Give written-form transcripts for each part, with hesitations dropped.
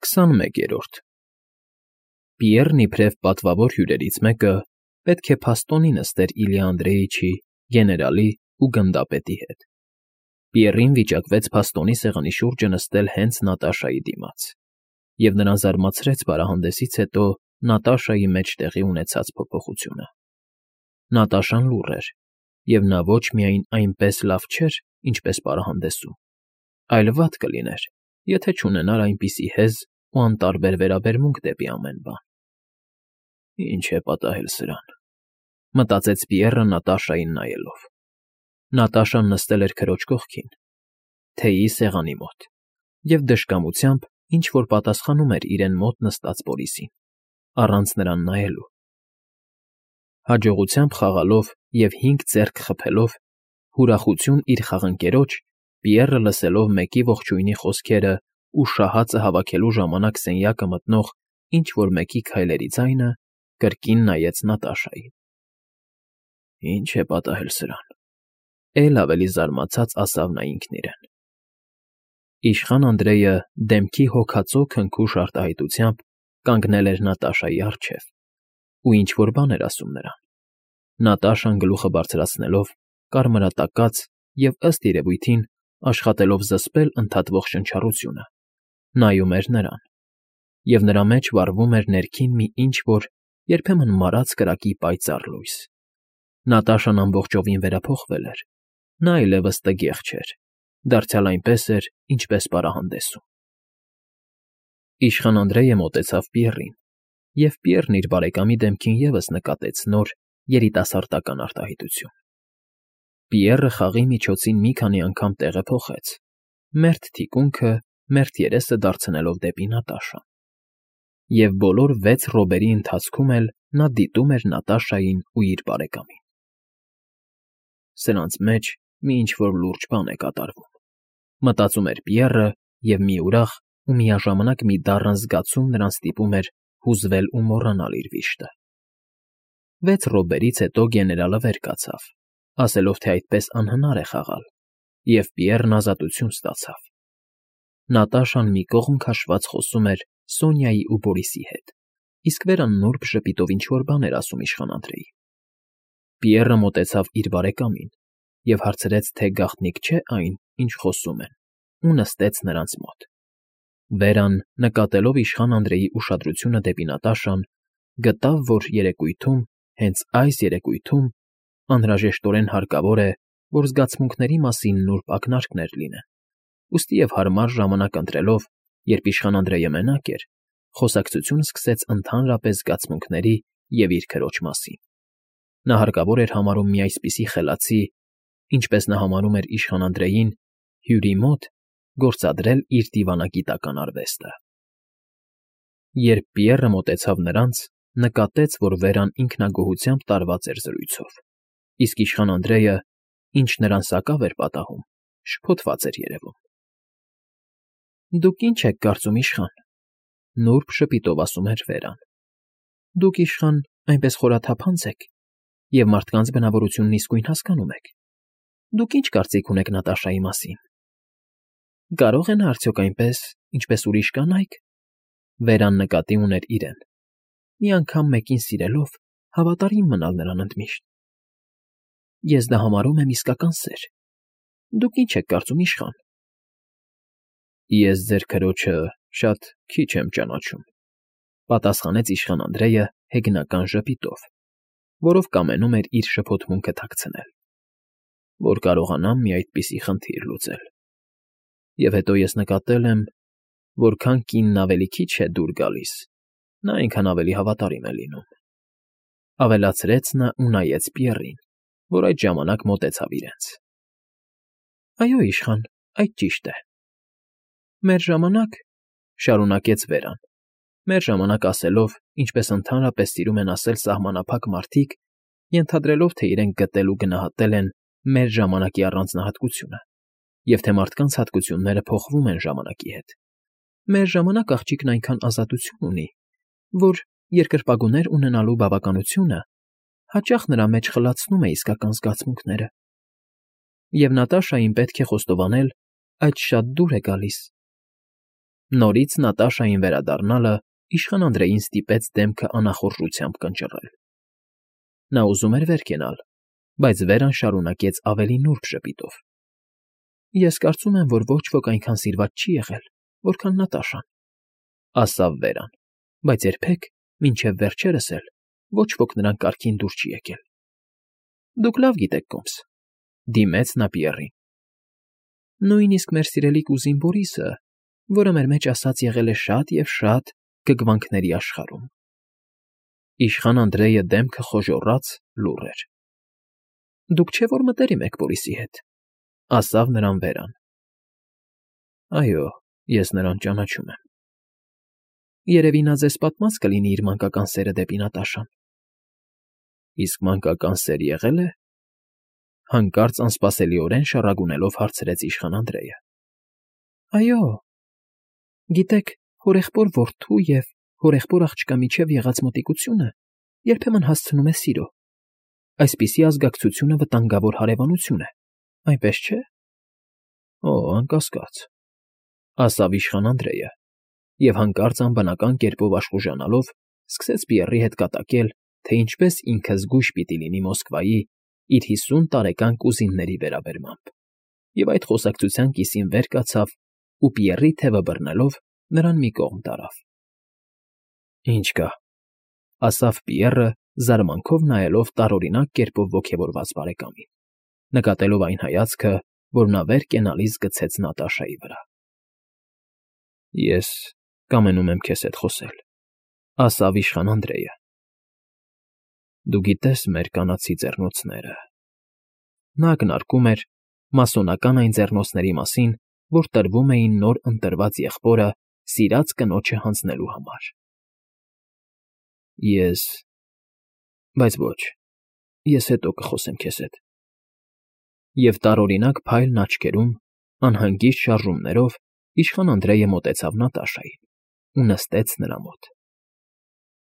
21-րդ Պիեռն իբրև պատվավոր հյուրերից մեկը պետք է փաստորեն նստեր Իլյա Անդրեիչի, գեներալի ու գնդապետի հետ։ Պիեռին վիճակվեց փաստոնի սեղանի շուրջը նստել հենց Նատաշայի դիմաց, և նրան զարմացրեց պարահանդեսից հետո Նատաշայի մեջ տեղի ունեցած փոփոխությունը։ Նատաշան լուռ էր, և նա ոչ միայն այնպես լավ չէր, ինչպես պարահանդեսում, այլ վատ կլիներ, եթե չունենար այնպիսի հեզ ու անտարբեր վերաբերմունք դեպի ամեն բան։ «Ի՞նչ է պատահել սրան,֊ մտածեց Պիեռը Նատաշային նայելով։ Նատաշան նստել էր քրոջ կողքին, թեյի սեղանի մոտ, և դժկամությամբ ինչ֊որ պատասխանում էր իրեն մոտ նստած Բորիսին, առանց նրան նայելու։ Հաջողությամբ խաղալով և 5 ձեռք խփելով ուրախություն իր խաղընկերոջ, Պիեռը լսելով մեկի ողջույնի խոսքերը ու շահածը հավաքելու ժամանակ սենյակը մտնող ինչ֊որ մեկի քայլերի ձայնը, կրկին նայեց Նատաշային։ «Ի՞նչ է պատահել սրան,֊ էլ ավելի զարմացած ասավ նա ինքն իրեն»։ Իշխան Անդրեյը դեմքի հոգածո քնքուշ արտահայտությամբ կանգնել էր Նատաշայի առջև ու ինչ֊որ բան էր ասում նրան։ Նատաշան գլուխը բարձրացնելով, կարմրատակած և, ըստ երևույթին, աշխատելով զսպել ընդհատվող շնչառությունը, նայում էր նրան, և նրա մեջ վառվում էր ներքին մի ինչ֊որ երբեմն մարած կրակի պայծառ լույս։ Նատաշան ամբողջովին վերափոխվել էր, նա այլևս տգեղ չէր, դարձյալ այնպես էր, ինչպես պարահանդեսում։ Իշխան Անդրեյը մոտեցավ Պիեռին, և Պիեռն իր բարեկամի դեմքին ևս նկատեց նոր, երիտասարդական արտահայտություն։ Պիեռը խաղի միջոցին մի քանի անգամ տեղը փոխեց, մերթ թիկունքը, մերթ երեսը դարձնելով դեպի Նատաշան։ Եվ բոլոր 6 րոպեի ընթացքում էլ նա դիտում էր Նատաշային ու իր բարեկամին։ «Սրանց մեջ մի ինչ֊որ լուրջ բան է կատարվում,֊ մտածում էր Պիեռը, և մի ուրախ ու միաժամանակ մի դառն զգացում նրան ստիպում էր հուզվել ու մոռանալ իր վիշտը։ 6 րոպեից հետո գեներալը վեր կացավ, ասելով, թե այդպես անհնար է խաղալ, և Պիեռն ազատություն ստացավ։ Նատաշան մի կողմ քաշված խոսում էր Սոնյայի ու Բորիսի հետ, իսկ վերան նուրբ ժպիտով ինչ֊որ բան էր ասում իշխան Անդրեին։ Պիեռը մոտեցավ իր բարեկամին և հարցրեց, թե գաղտնիք չէ այն, ինչ խոսում են, ու նստեց նրանց մոտ։ Վերան, նկատելով իշխան Անդրեի ուշադրությունը դեպի Նատաշան, գտավ, որ երեկույթում, հենց այս երեկույթում, անհրաժեշտորեն հարկավոր է, որ զգացմունքների մասին նուրբ ակնարկներ լինեն, ուստի և հարմար ժամանակ ընտրելով, երբ իշխան Անդրեյը մենակ էր, խոսակցություն սկսեց ընդհանրապես զգացմունքների և իր քրոջ մասին։ Նա հարկավոր էր համարում մի այսպիսի խելացի, ինչպես նա համարում էր իշխան Անդրեյին, հյուրի մոտ գործադրել իր դիվանագիտական արվեստը։ Երբ Պիեռը մոտեցավ նրանց, նկատեց, որ Վերան ինքնագոհությամբ տարված էր զրույցով, իսկ իշխան Անդրեյը, ինչ նրան սակավ էր պատահում, շփոթված էր երևում։ «Դուք ի՞նչ եք կարծում, իշխան,֊ նուրբ ժպիտով ասում էր Վերան,֊ դուք, իշխան, այնպես խորաթափանց եք և մարդկանց բնավորությունն իսկույն հասկանում եք։ Դուք ի՞նչ կարծիք ունեք Նատաշայի մասին։ Կարո՞ղ է նա արդյոք այնպես, ինչպես ուրիշ կանայք,֊ Վերան նկատի ուներ իրեն,֊ մի անգամ մեկին սիրելով, հավատարիմ մնալ նրան ընդմիշտ։ Ես դա համարում եմ իսկական սեր։ Դուք ի՞նչ եք կարծում, իշխան»։ «Ես ձեր քրոջը շատ քիչ եմ ճանաչում,֊ պատասխանեց իշխան Անդրեյը հեգնական ժպիտով, որով կամենում էր իր շփոթմունքը թաքցնել,֊ որ կարողանամ մի այդպիսի խնդիր լուծել։ Եվ հետո ես նկատել եմ, որքան կինն ավելի քիչ է դուր գալիս, նա այնքան ավելի հավատարիմ է լինում,֊ ավելացրեց նա ու նայեց Պիեռին, որ այդ ժամանակ մոտեցավ իրենց։ «Այո, իշխան, այդ ճիշտ է։ Մեր ժամանակ,֊ շարունակեց Վերան,֊ մեր ժամանակ ասելով, ինչպես ընդհանրապես սիրում են ասել սահմանափակ մարդիկ, ենթադրելով, թե իրենք գտել ու գնահատել են մեր ժամանակի առանձնահատկությունը, և թե մարդկանց հատկությունները փոխվում են ժամանակի հետ, մեր ժամանակ աղջիկն այնքան ազատություն ունի, որ երկրպագուներ ունենալու բավականությունը հաճախ նրա մեջ խլացնում է իսկական զգացմունքները։ Եվ Նատաշային պետք է խոստովանել, այդ շատ դուր է գալիս։ Նորից Նատաշային վերադառնալը իշխան Անդրեին ստիպեց դեմքը անախորժությամբ կնճռել։ Նա ուզում էր վեր կենալ, բայց Վերան շարունակեց ավելի նուրբ ժպիտով. Ես կարծում եմ, որ ոչ ոք այնքան սիրված չի եղել, որքան Նատաշան, ասավ Վերան, բայց երբեք, մինչև վերջերս էլ, ոչ ոք նրան կարգին դուր չի եկել։ Դուք լավ գիտեք, Կոմս, դիմեց նա Պիեռին։ Նույնիսկ մեր սիրելի կուզին Բորիսը, որը մեր մեջ ասած եղել է շատ և շատ գգվանքների աշխարհում։ Իշխան Անդրեյը դեմքը խոժոռաց լուռ էր։ Դուք չէ՞ որ մտերիմ եք Բորիսի հետ, ասավ նրան Վերան։ Այո, ես նրան ճանաչում եմ։ Երևի նա ձեզ պատմած կլինի իր մանկական սերը դեպի Նատաշան։ Իսկ մանկական սեր եղե՞լ է։ Հանկարծ անսպասելիորեն շառագունելով հարցրեց իշխան Անդրեյը։ Այո։ Գիտեք, հորեղբոր որդու և հորեղբոր աղջկա միջև եղած մոտիկությունը երբեմն հասցնում է սիրո։ Այսպիսի ազգակցությունը վտանգավոր հարևանություն է, այնպես չէ։ Օ, անկասկած, ասավ իշխան Անդրեյը, և հանկարծ անբնական կերպով աշխուժանալով սկսեց Պիեռի հետ կատակել, թե ինչպես ինքը զգույշ պիտի լինի Մոսկվայի իր 50 տարեկան կուզինների վերաբերմամբ, և այդ խոսակցության կիսին վեր կացավ ու Պիեռի թևը բռնելով նրան մի կողմ տարավ։ Ինչ կա, ասավ Պիեռը, զարմանքով նայելով տարօրինակ կերպով ոգևորված բարեկամին, նկատելով այն հայացքը, որ նա վեր կենալիս գցեց Նատաշայի վրա։ Ես կամենում եմ քեզ հետ խոսել, ասավ իշխան Անդրեյը։ Դու գիտես մեր կանացի ձեռնոցները։ Նա ակնարկում էր մասոնական այն ձեռնոցների մասին, որ տրվում էին նոր ընտրված եղբորը սիրած կնոջը հանձնելու համար։ Բայց ոչ, ես հետո կխոսեմ քեզ հետ։ Եվ տարօրինակ փայլն աչքերում, անհանգիստ շարժումներով իշխան Անդրեյը մոտեցավ Նատաշային ու նստեց նրա մոտ։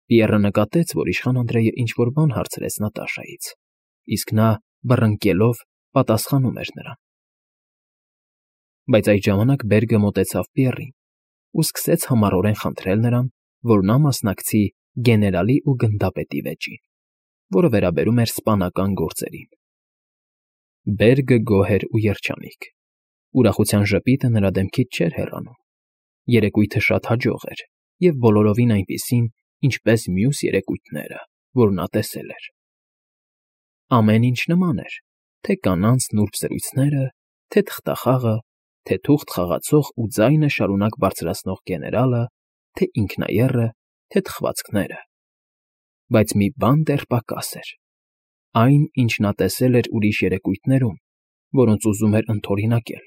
Պիեռը նկատեց, որ իշխան Անդրեյը ինչ֊որ բան հարցրեց Նատաշայից, իսկ նա, բռնկելով, պատասխանում էր նրան։ Բայց այդ ժամանակ Բերգը մոտեցավ Պիեռին ու սկսեց համառորեն խնդրել նրան, որ նա մասնակցի գեներալի ու գնդապետի վեճին, որը վերաբերում էր սպանական գործերին։ Բերգը գոհ էր ու երջանիկ։ Ուրախության ժպիտը նրա դեմքից չէր հեռանում։ Երեկույթը շատ հաջող էր և բոլորովին այնպիսին, ինչպես մյուս երեկույթները, որ նա տեսել էր։ Ամեն ինչ նման էր, թե կանանց նուրբ զրույցները, թե թղթախաղը, թե թուղթ խաղացող ու ձայնը շարունակ բարձրացնող գեներալը, թե ինքնաեռը, թե թխվածքները։ Բայց մի բան դեռ պակաս էր։ Այն, ինչ նա տեսել էր ուրիշ երեկույթներում, որոնց ուզում էր ընդօրինակել։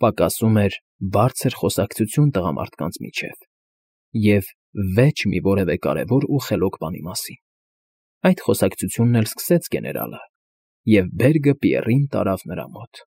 Պակասում էր բարձր խոսակցություն տղամարդկանց միջև և վեճ մի որևէ կարևոր ու խելոք բանի մասին։ Այդ խոսակցությունն էլ սկսեց գեներալը, և Բերգը Պիեռին տարավ նրա մոտ։